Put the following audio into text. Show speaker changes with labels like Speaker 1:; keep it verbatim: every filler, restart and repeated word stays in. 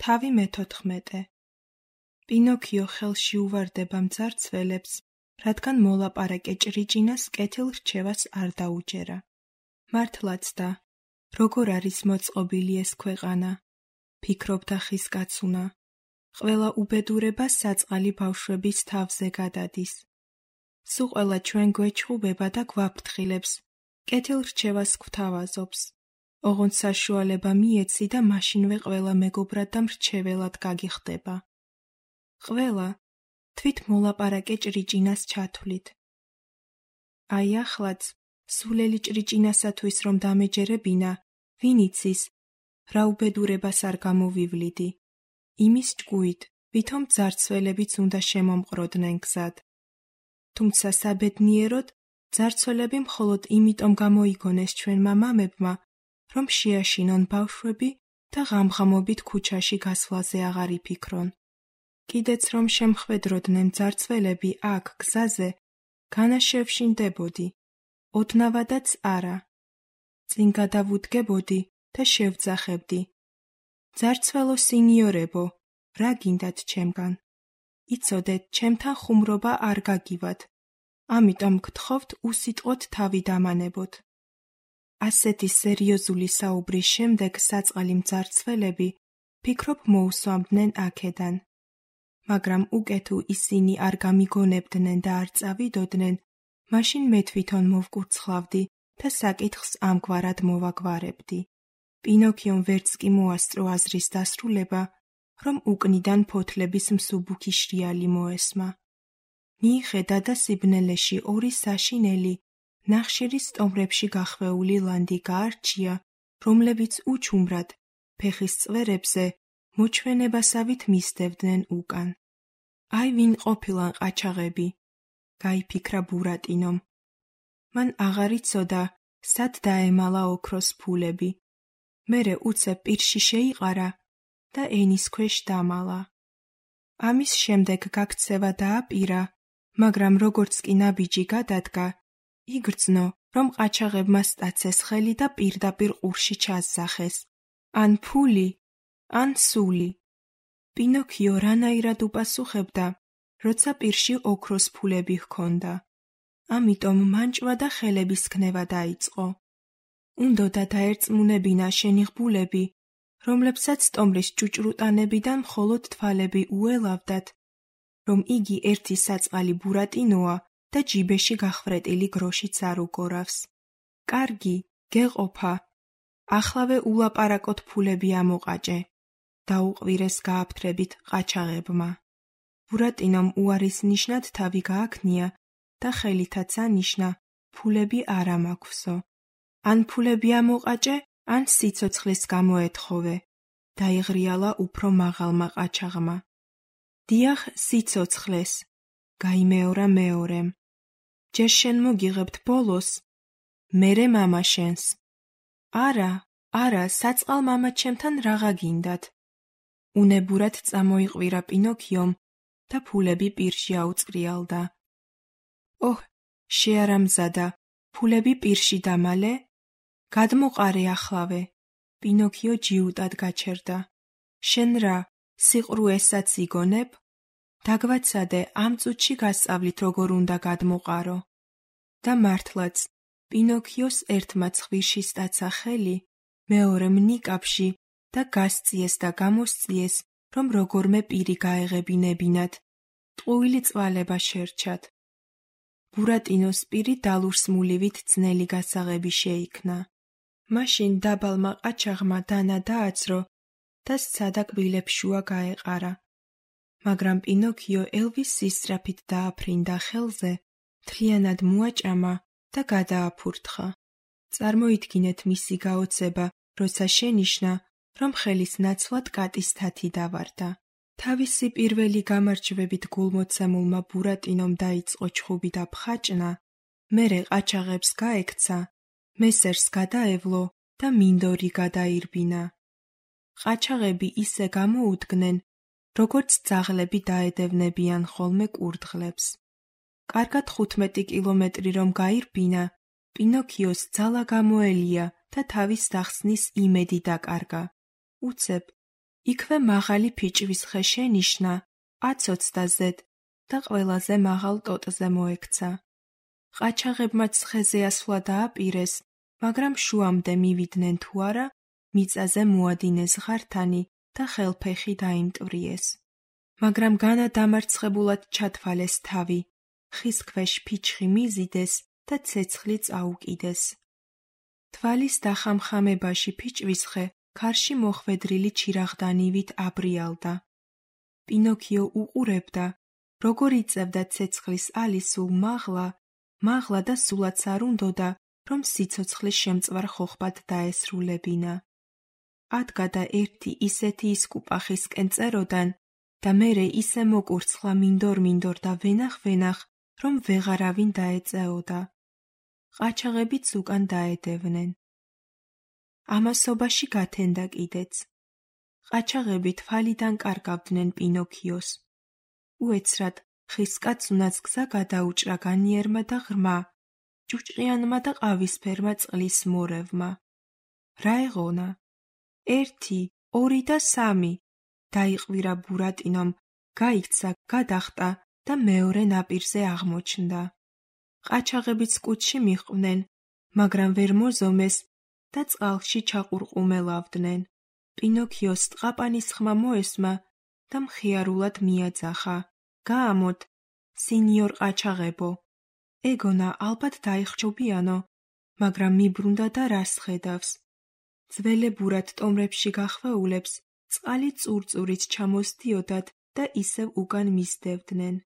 Speaker 1: თავი მეთოთხმეტე. პინოქიო ხელში უვარდება მძარცველებს, რადგან მოლაპარაკე ჭრიჭინას კეთილ-რჩევას არ დაუჯერა. მართლაც და, როგორ არის მოწყობილი ეს ქვეყანა, ფიქრობდა ხის კაცუნა. ყველა უბედურება საწყალი ბავშვების თავზე გადადის. სულ ყველა ჩვენ გვეჩხუბება და გვაფრთხილებს, კეთილ-რჩევას გვთავაზობს. ოღონდ საშუალება მიეცი და მაშინვე ყველა მეგობრად და მრჩეველად გაგიხდება. ყველა თვით მოლაპარაკე ჭრიჭინას ჩათვლით. აი ახლაც, სულელი ჭრიჭინასათვის რომ დამეჯერებინა, ვინ იცის, რა უბედურებას არ გამოვივლიდი. იმის ჭკუით, ვითომ ძარცველებიც უნდა შემომყროდნენ გზად. თუმცა საბედნიეროდ, ძარცველები მხოლოდ იმიტომ გამოიგონეს ჩვენმა მამებმა, რომ შეაშინონ ბავშვები და ღამღამობით ქუჩაში გასვლაზე აღარ იფიქრონ. კიდეც რომ შემხვედროდნენ ძარცველები აქ გზაზე, განაშევში ნდებოდი, ოდნავადაც არა. წინ გადავუდგებოდი და შევძახებდი. ძარცველო სინიორებო, რა გინდათ ჩემგან? იცოდეთ, ჩემთან ხუმრობა არ გაგივათ, ამიტომ გთხოვთ უსიტყვოდ თავი დამანებოთ. ასეთი სერიოზული საუბრის შემდეგ საწყალი მძარცველები, ფიქრობ მოусვამდნენ აქედან. მაგრამ უკეთ თუ ისინი არ გამიგონებდნენ და არ წავიდოდნენ, მაშინ მე თვითონ მოვკურცხლავდი და საკითხს ამგვარად მოვაგვარებდი. პინოქიომ ვერც კი მოასწრო აზრის დასრულება, რომ უკნიდან ფოთლების მსუბუქი შრიალი მოესმა. მიიხედა და სიბნელეში ორი საშინელი, ნახშირის სტომრებში გახვეული ლანდი გაარჩია, რომლებიც უჩუმრად, ფეხის წვერებზე, მოჩვენებასავით მისდევდნენ უკან. აი ვინ ყოფილან ყაჩაღები, გაიფიქრა ბურატინომ. მან აღარ იცოდა, სად დაემალა ოქროს ფულები. მერე უცებ პირში შეიყარა და ენის ქვეშ დამალა. ამის შემდეგ გაქცევა დააპირა, მაგრამ როგორც კი ნაბიჯი გადადგა, იგრძნო, რომ ყაჩაღებმა სტაცეს ხელი და პირდაპირ ყურში ჩასძახეს. ან ფული, ან სული. პინოქიო რანაირად უპასუხებდა, როცა პირში ოქროს ფულები ჰქონდა. ამიტომ მანჭვა და ხელების ქნება დაიწყო. უნდოდა დაერწმუნებინა შენიღბულები, რომლებსაც სტომრის ჭუჭრუტანებიდან მხოლოდ თვალები უელავდათ, რომ იგი ერთი საწყალი ბურატინოა და ჯიბეში გახვრეტილი გროშიც არ უგორავს. კარგი, გეყოფა. ახლავე ულაპარაკოთ ფულები ამოყაჭე. დაუყვირეს გააფთრებით ყაჩაღებმა. ბურატინომ უარის ნიშნად თავი გააქნია და ხელითაც ანიშნა, ფულები არ ამაქვსო. ან ფულები ამოყაჭე, ან სიცოცხლის გამოეთხოვე. დაიღრიალა უფრო მაღალმა ყაჩაღმა. დიახ, სიცოცხლეს, გაიმეორა მეორემ. ჯერ შენ მოგიღებთ ბოლოს, მერე მამა შენს. არა, არა, საწყალ მამაჩემთან რაღა გინდათ. უნებურად წამოიყვირა პინოქიომ და ფულები პირში აუწყრიალდა. ოჰ, შეარამზადა, ფულები პირში დამალე? გადმოყარე ახლავე. პინოქიო ჯიუტად გაჩერდა. შენ რა, სიყრუესაც იგონებ? დაგვაცადე, ამ წუთში გასწავლით როგორ უნდა გადმოყარო. და მართლაც, პინოქიოს ერთმა ცხვირში სტაცა ხელი, მეორემ ნიკაპში და გასწიეს და გამოსწიეს, რომ როგორმე პირი გაეღებინებინათ. ტყუილი წვალება შერჩათ. ბურატინოს პირი დალურსმულივით ძნელი გასაღები შეიქმნა. მაშინ დაბალმა ყაჩაღმა დანა დააძრო და სცადა კბილებს შუა გაეყარა. მაგრამ პინოქიო ელვის სისწრაფით დააფრინდა ხელზე, მთლიანად მოაჭამა და გადააფურთხა. წარმოიდგინეთ მისი გაოცება, როცა შენიშნა, რომ ხელის ნაცვლად კატის თათი დავარდა. თავისი პირველი გამარჯვებით გულმოცემულმა ბურატინომ დაიწყო ჩხუბი და ფხაჭნა, მერე ყაჩაღებს გაექცა, მესერს გადაევლო და მინდორი გადაირბინა. ყაჩაღები ისე გამოუდგნენ, როგორც ძაღლები დაედევნებიან ხოლმე კურდღლებს. კარგად ხუთმეტი კილომეტრი რომ გაირბინა, პინოქიოს ძალა გამოელია და თავის დახსნის იმედი დაკარგა. უცებ, იქვე მაღალი ფიჭვის ხე შენიშნა, აცოცდაზედ და ყველაზე მაღალ ტოტზე მოექცა. ყაჩაღებმაც ხეზე ასვლა დააპირეს, მაგრამ შუამდე მივიდნენ თუ არა, მიწაზე მოადინეს ღართანი და ხელფეხი დაიმტვრიეს. მაგრამ განა დამარცხებულად ჩათვალეს თავი, ხის ქვეშ ფიჩხი მიზიდეს და ცეცხლი წაუკიდეს. თვალის დახამხამებაში ფიჭვისხე ქარში მოხვედრილი ჩირაღდანივით აბრიალდა. პინოქიო უყურებდა, როგორ იწევდა ცეცხლის ალისულ მაღლა, მაღლა და სულაც არ უნდოდა, რომ სიცოცხლის შემწვარ ხოხბად დაესრულებინა. ადგა და ერთი ისეთი ისკუპახისკენ წეროდან და მერე ისე მოკურცხლა მინდორ-მინდორ და ვენახ-ვენახ, რომ ვეღარავინ დაეწეოდა. ყაჩაღებიც უკან დაედევნენ. ამასობაში გათენდა კიდეც. ყაჩაღები თვალიდან კარგავდნენ პინოქიოს. უეცრად ხის კაცუნაც გზა გადაუჭრა განიერმა და ღრმა, ჭუჭყიანმა და ყავისფერმა წყლის მორევმა. რა ეღონა? ერთი, ორი და სამი. დაიყვირა ბურატინომ, გაიქცა, გადახტა და მეორე ნაპირზე აღმოჩნდა. ყაჩაღებიც კუჩში მიჰყვნენ, მაგრამ ვერ მოზომეს და წყალში ჩაყურყუმელავდნენ. პინოქიოს ტყაპანის ხმა მოესმა და მხიარულად მიაძახა. გაამოთ, სინიორ ყაჩაღებო. ეგონა ალბათ დაიხჯობიანო, მაგრამ მიბრუნდა და რას ხედავს. ძველებურად ტომრებში გახვეულებს წყალი წურწურით ჩამოსდიოდათ და ისევ უკან მისდევდნენ.